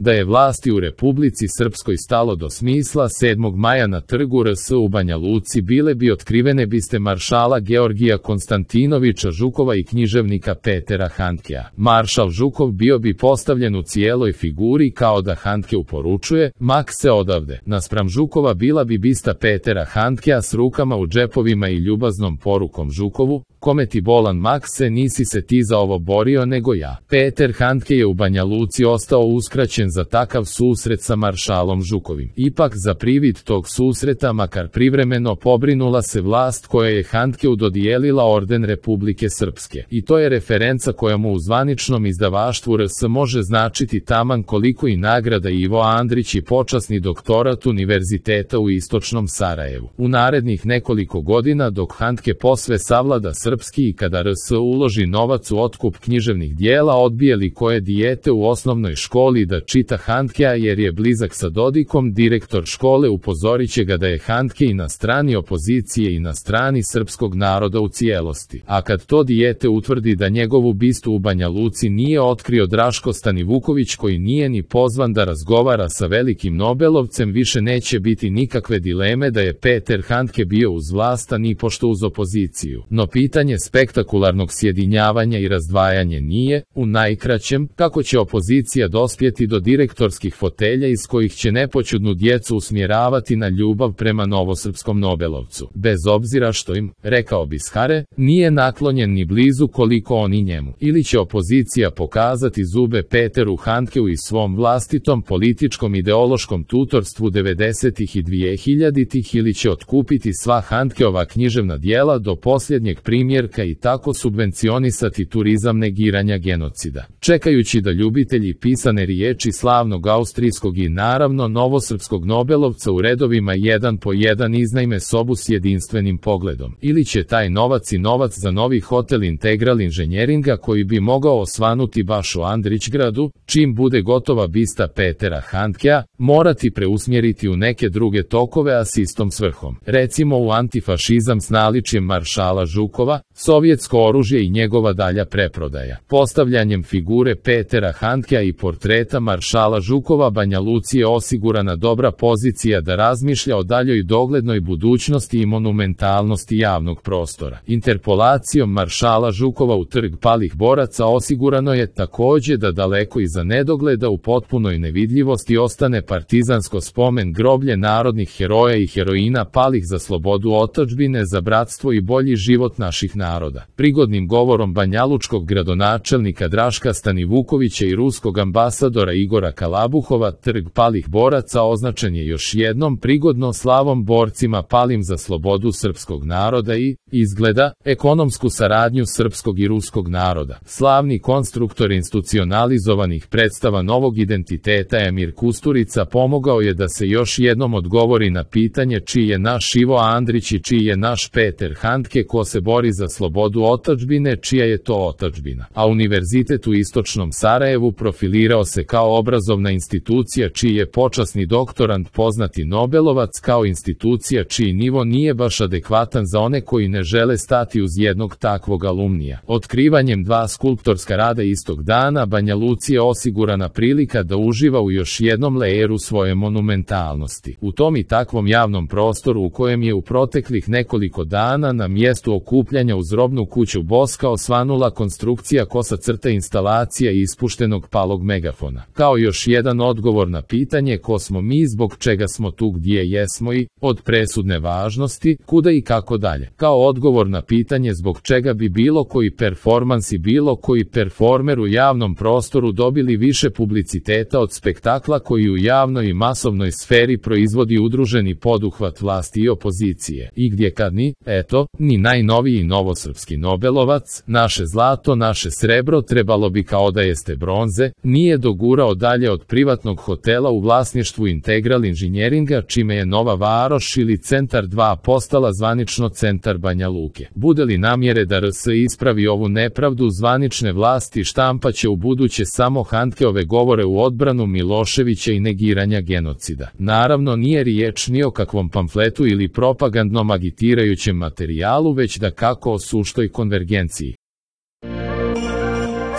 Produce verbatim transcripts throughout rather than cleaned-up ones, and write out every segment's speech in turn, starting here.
Da je vlasti u Republici Srpskoj stalo do smisla, sedmog maja na trgu R S u Banja Luci bile bi otkrivene biste maršala Georgija Konstantinovića Žukova i književnika Petera Handkea. Maršal Žukov bio bi postavljen u cijeloj figuri kao da Handke uporučuje: mak se odavde. Naspram Žukova bila bi bista Petera Handkea s rukama u džepovima i ljubaznom porukom Žukovu: kome ti bolan mak se, nisi se ti za ovo borio nego ja. Peter Handke je u Banja Luci ostao uskraćen za takav susret sa maršalom Žukovim. Ipak za privid tog susreta, makar privremeno, pobrinula se vlast koja je Handkeu dodijelila orden Republike Srpske. I to je referenca koja mu u zvaničnom izdavaštvu R S može značiti taman koliko i nagrada Ivo Andrić i počasni doktorat Univerziteta u Istočnom Sarajevu. U narednih nekoliko godina, dok Handke posve savlada srpski i kada R S uloži novac u otkup književnih dijela, odbije li koje dijete u osnovnoj školi da čita Handkea jer je blizak sa Dodikom, direktor škole upozorit će ga da je Handke i na strani opozicije i na strani srpskog naroda u cijelosti. A kad to dijete utvrdi da njegovu bistu u Banja Luci nije otkrio Draško Stanivuković, koji nije ni pozvan da razgovara sa velikim Nobelovcem, više neće biti nikakve dileme da je Peter Handke bio uz vlast, a ni pošto uz opoziciju. No pitanje spektakularnog sjedinjavanja i razdvajanja nije, u najkraćem, kako će opozicija dospjeti do direktorskih fotelja iz kojih će nepoćudnu djecu usmjeravati na ljubav prema novosrpskom Nobelovcu, bez obzira što im, rekao bi Skare, nije naklonjen ni blizu koliko oni njemu. Ili će opozicija pokazati zube Peteru Handkeu i svom vlastitom političkom ideološkom tutorstvu devedesetih i dvehiljaditih, ili će otkupiti sva Handkeova književna dijela do posljednjeg primjerka i tako subvencionisati turizam negiranja genocida. Čekajući da ljubitelji pisane riječi slavnog austrijskog i naravno novosrpskog Nobelovca u redovima jedan po jedan iznajme sobu s jedinstvenim pogledom. Ili će taj novac i novac za novi hotel Integral inženjeringa, koji bi mogao osvanuti baš u Andrićgradu, čim bude gotova bista Petera Handkea, morati preusmjeriti u neke druge tokove, a s istom svrhom. Recimo u antifašizam s naličjem maršala Žukova, sovjetsko oružje i njegova dalja preprodaja. Postavljanjem figure Petera Handkea i portreta maršala Žukova Banja Luci je osigurana dobra pozicija da razmišlja o daljoj doglednoj budućnosti i monumentalnosti javnog prostora. Interpolacijom maršala Žukova u trg palih boraca osigurano je također da daleko iza nedogleda u potpunoj nevidljivosti ostane partizansko spomen groblje narodnih heroja i heroina palih za slobodu otadžbine, za bratstvo i bolji život naših naroda. Prigodnim govorom banjalučkog gradonačelnika Draška Stanivukovića i ruskog ambasadora Igora Kalabuhova trg palih boraca označen je još jednom prigodno slavom borcima palim za slobodu srpskog naroda i, izgleda, ekonomsku saradnju srpskog i ruskog naroda. Slavni konstruktor institucionalizovanih predstava novog identiteta Emir Kusturica pomogao je da se još jednom odgovori na pitanje čiji je naš Ivo Andrić i čiji je naš Peter Handke, ko se bori za slobodu otadžbine, čija je to otadžbina. A Univerzitet u Istočnom Sarajevu profilirao se kao obrazovna institucija čiji je počasni doktorant poznati Nobelovac, kao institucija čiji nivo nije baš adekvatan za one koji ne žele stati uz jednog takvog alumnija. Otkrivanjem dva skulptorska rada istog dana Banja Luci je osigurana prilika da uživa u još jednom lejeru svoje monumentalnosti. U tom i takvom javnom prostoru u kojem je u proteklih nekoliko dana na mjestu okupljanja uz robnu kuću Boska osvanula konstrukcija kosa crta instalacija ispuštenog palog megafona. Kao još jedan odgovor na pitanje ko smo mi, zbog čega smo tu gdje jesmo i, od presudne važnosti, kuda i kako dalje. Kao odgovor na pitanje zbog čega bi bilo koji performans i bilo koji performer u javnom prostoru dobili više publiciteta od spektakla koji u javnoj i masovnoj sferi proizvodi udruženi poduhvat vlasti i opozicije. I gdje kad ni, eto, ni najnoviji novosrpski Nobelovac, naše zlato, naše srebro, trebalo bi kao da jeste bronze, nije dogurao dalje od privatnog hotela u vlasništvu Integral inženjeringa, čime je Nova Varoš ili Centar dva postala zvanično centar Banja Luke. Bude li namjere da R S ispravi ovu nepravdu, zvanične vlasti štampaće u buduće samo Handkeove govore u odbranu Miloševića i negiranja genocida. Naravno nije riječ ni o kakvom pamfletu ili propagandnom agitirajućem materijalu, već da kako o suštoj konvergenciji.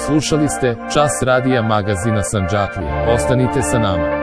Slušali ste Čas radija magazina Sandžaklija. Ostanite sa nama.